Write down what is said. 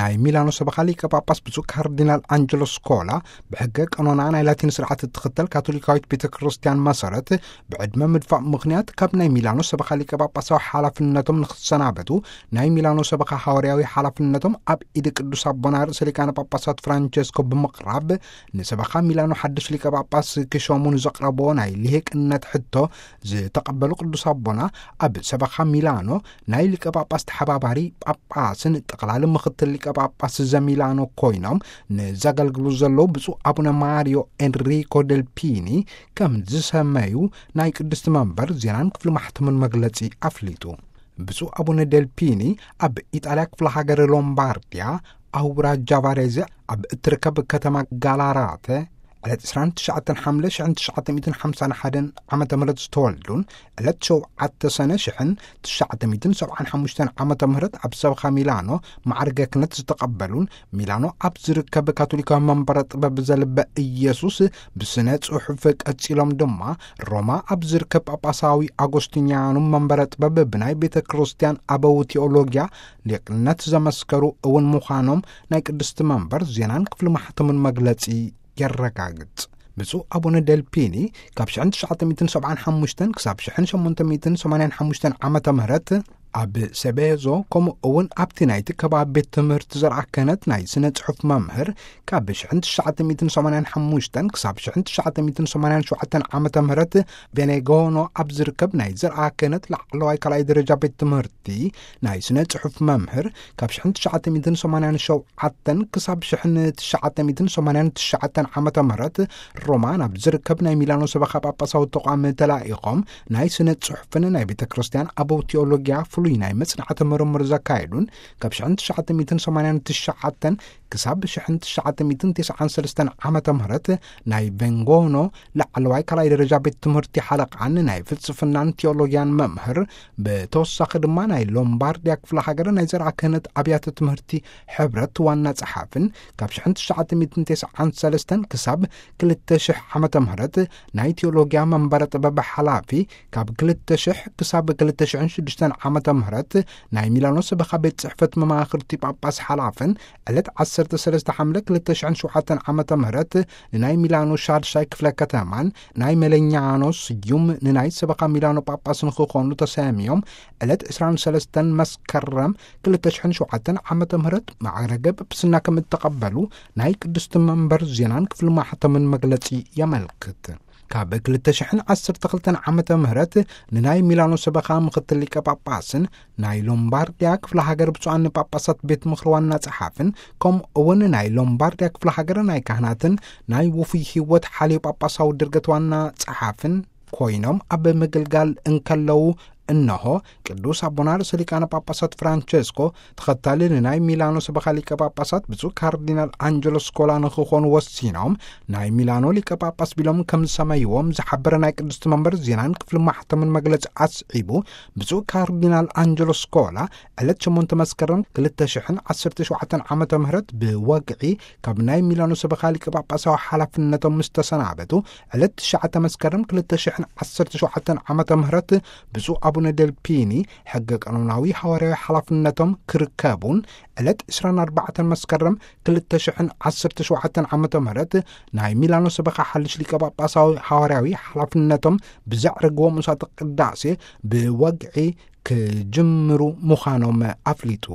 ናይ ሚላኖ ሰበኻ ሊቀ ጳጳስ ብፁዕ ካርዲናል ኣንጀሎ ስኮላ፣ ብሕገ ቀኖና ናይ ላቲን ስርዓት እትኽተል ካቶሊካዊት ቤተ ክርስቲያን መሰረት፣ ብዕድመ ምድፋእ ምኽንያት ካብ ናይ ሚላኖ ሰበኻ ሊቀ ጳጳሳዊ ሓላፍነቶም ንኽሰናበቱ፣ ናይ ሚላኖ ሰበኻ ሃዋርያዊ ሓላፍነቶም ኣብ ኢድ ቅዱስ ኣቦና ርእሰ ሊቃነ ጳጳሳት ፍራንቸስኮ ብምቕራብ፣ ንሰበኻ ሚላኖ ሓድሽ ሊቀ ጳጳስ ክሾሙ ንዘቕረብዎ ናይ ልሂቅነት ሕቶ ዝተቐበሉ ቅዱስ ኣቦና፣ ኣብ ሰበኻ ሚላኖ ናይ ሊቀ ጳጳስ ተሓባባሪ ጳጳስን ጠቕላሊ ምኽትል ሊቀ ጳጳስ ዘሚላኖ ኮይኖም ንዘገልግሉ ዘለዉ ብፁዕ ኣቡነ ማሪዮ ኤንሪኮ ደልፒኒ ከም ዝሰመዩ ናይ ቅድስቲ መንበር ዜናን ክፍሊ ማሕተምን መግለጺ ኣፍሊጡ። ብፁዕ ኣቡነ ደልፒኒ ኣብ ኢጣልያ ክፍለ ሃገር ሎምባርዲያ ኣውራጃ ቫሬዘ ኣብ እትርከብ ከተማ ጋላራተ ዕለት ዕስራን ትሽዓተን ሓምለ ሽሕን ትሽዓተ ሚእትን ሓምሳን ሓደን ዓመተ ምህረት ዝተወልዱን ዕለት ሸውዓተ ሰነ ሽሕን ትሽዓተ ሚእትን ሰብዓን ሓሙሽተን ዓመተ ምህረት ኣብ ሰበኻ ሚላኖ ማዕርገ ክህነት ዝተቐበሉን፣ ሚላኖ ኣብ ዝርከብ ካቶሊካዊ መንበረ ጥበብ ዘልበ ኢየሱስ ብስነ ጽሑፍ ቀጺሎም ድማ ሮማ ኣብ ዝርከብ ጳጳሳዊ ኣጎስቲንያኑ መንበረ ጥበብ ብናይ ቤተ ክርስቲያን ኣበው ቴዎሎጊያ ሊቅነት ዘመስከሩ እውን ምዃኖም ናይ ቅድስቲ መንበር ዜናን ክፍሊ ማሕተምን መግለጺ የረጋግጽ። ብፁዕ ኣቡነ ደልፒኒ ካብ ሽሕን ትሽዓተ ሚእትን ሰብዓን ሓሙሽተን ክሳብ ሽሕን ሸሞንተ ሚእትን ሰማንያን ሓሙሽተን ዓመተ ምህረት ኣብ ሰቤዞ፣ ከምኡ እውን ኣብቲ ናይቲ ከባቢ ቤት ትምህርቲ ዘርኣ ክህነት ናይ ስነ ጽሑፍ መምህር፣ ካብ ሽሕን ትሽዓተ ሚእትን ሰማንያን ሓሙሽተን ክሳብ ሽሕን ትሽዓተ ሚእትን ሰማንያን ሸውዓተን ዓመተ ምህረት ቬኔጎኖ ኣብ ዝርከብ ናይ ዘርኣ ክህነት ላዕለዋይ ካልኣይ ደረጃ ቤት ትምህርቲ ናይ ስነ ጽሑፍ መምህር፣ ካብ ሽሕን ትሽዓተ ሚእትን ሰማንያን ሸውዓተን ክሳብ ሽሕን ትሽዓተ ሚእትን ሰማንያን ትሽዓተን ዓመተ ምህረት ሮማ ናብ ዝርከብ ናይ ሚላኖ ሰበኻ ጳጳሳዊ ተቋም ተላኢኾም ናይ ስነ ጽሑፍን ናይ ቤተ ክርስቲያን ኣበው ቴዎሎጊያ ፍሉይ ናይ መጽናዕቲ ምርምር ዘካየዱን፣ ካብ ሽሕን ትሽዓተ ሚእትን ሰማንያን ትሽዓተን ክሳብ ሽሕን ትሽዓተ ሚእትን ተስዓን ሰለስተን ዓመተ ምህረት ናይ ቬንጎኖ ላዕለዋይ ካልኣይ ደረጃ ቤት ትምህርቲ ሓለቓን ናይ ፍልስፍናን ቴዎሎጊያን መምህር፣ ብተወሳኺ ድማ ናይ ሎምባርዲያ ክፍለ ሃገር ናይ ዘርኣ ክህነት ኣብያተ ትምህርቲ ሕብረት ዋና ጸሓፍን፣ ካብ ሽሕን ትሽዓተ ሚእትን ተስዓን ሰለስተን ክሳብ ክልተ ሽሕ ዓመተ ምህረት ናይ ቴዎሎጊያ መንበረ ጥበብ ሓላፊ፣ ካብ ክልተ ሽሕ ክሳብ ክልተ ሽሕን ሽዱሽተን ዓመተ ምህረት ናይ ሚላኖ ሰበኻ ቤት ጽሕፈት መማኽርቲ ጳጳስ ሓላፍን፣ ዕለት ዓሰርተ ሰለስተ ሓምለ ክልተ ሽሕን ሸውዓተን ዓመተ ምህረት ንናይ ሚላኖ ሻድሻይ ክፍለ ከተማን ናይ መለኛኖ ስዩም ንናይ ሰበኻ ሚላኖ ጳጳስ ንኽኾኑ ተሰምዮም፣ ዕለት ዕስራን ሰለስተን መስከረም ክልተ ሽሕን ሸውዓተን ዓመተ ምህረት ማዕረገ ጵጵስና ከም እተቐበሉ ናይ ቅድስቲ መንበር ዜናን ክፍሊ ማሕተምን መግለጺ የመልክት። ካብ ክልተ ሽሕን ዓሰርተ ክልተን ዓመተ ምህረት ንናይ ሚላኖ ሰበኻ ምኽትል ሊቀ ጳጳስን ናይ ሎምባርዲያ ክፍለ ሃገር ብፁዓን ጳጳሳት ቤት ምኽሪ ዋና ጸሓፍን፣ ከምኡ እውን ናይ ሎምባርዲያ ክፍለ ሃገር ናይ ካህናትን ናይ ውፉይ ህይወት ሓልዮ ጳጳሳዊ ድርገት ዋና ጸሓፍን ኮይኖም ኣብ ምግልጋል እንከለዉ፣ እነሆ ቅዱስ ኣቦና ርእሰ ሊቃነ ጳጳሳት ፍራንቸስኮ ተኸታሊ ንናይ ሚላኖ ሰበኻ ሊቀ ጳጳሳት ብፁዕ ካርዲናል ኣንጀሎ ስኮላ ንኽኾኑ ወሲኖም፣ ናይ ሚላኖ ሊቀ ጳጳስ ቢሎም ከም ዝሰመይዎም ዝሓበረ ናይ ቅድስቲ መንበር ዜናን ክፍሊ ማሕተምን መግለጺ ኣስዒቡ፣ ብፁዕ ካርዲናል ኣንጀሎ ስኮላ ዕለት ሸሞንተ መስከረም ክልተ ሽሕን ዓሰርተ ሸውዓተን ዓመተ ምህረት ብወግዒ ካብ ናይ ሚላኖ ሰበኻ ሊቀ ጳጳሳዊ ሓላፍነቶም ምስ ተሰናበቱ፣ ዕለት ትሽዓተ መስከረም ክልተ ሽሕን ዓሰርተ ሸውዓተን ዓመተ ምህረት ብፁዕ ኣቡነ ደልፒኒ ሕገ ቀኖናዊ ሃዋርያዊ ሓላፍነቶም ክርከቡን፣ ዕለት ዕስራን ኣርባዕተን መስከረም ክልተ ሽሕን ዓሰርተ ሸውዓተን ዓመተ ምህረት ናይ ሚላኖ ሰበኻ ሓድሽ ሊቀ ጳጳሳዊ ሃዋርያዊ ሓላፍነቶም ብዘዕርግዎ ምሳተ ቅዳሴ ብወግዒ ክጅምሩ ምዃኖም ኣፍሊጡ።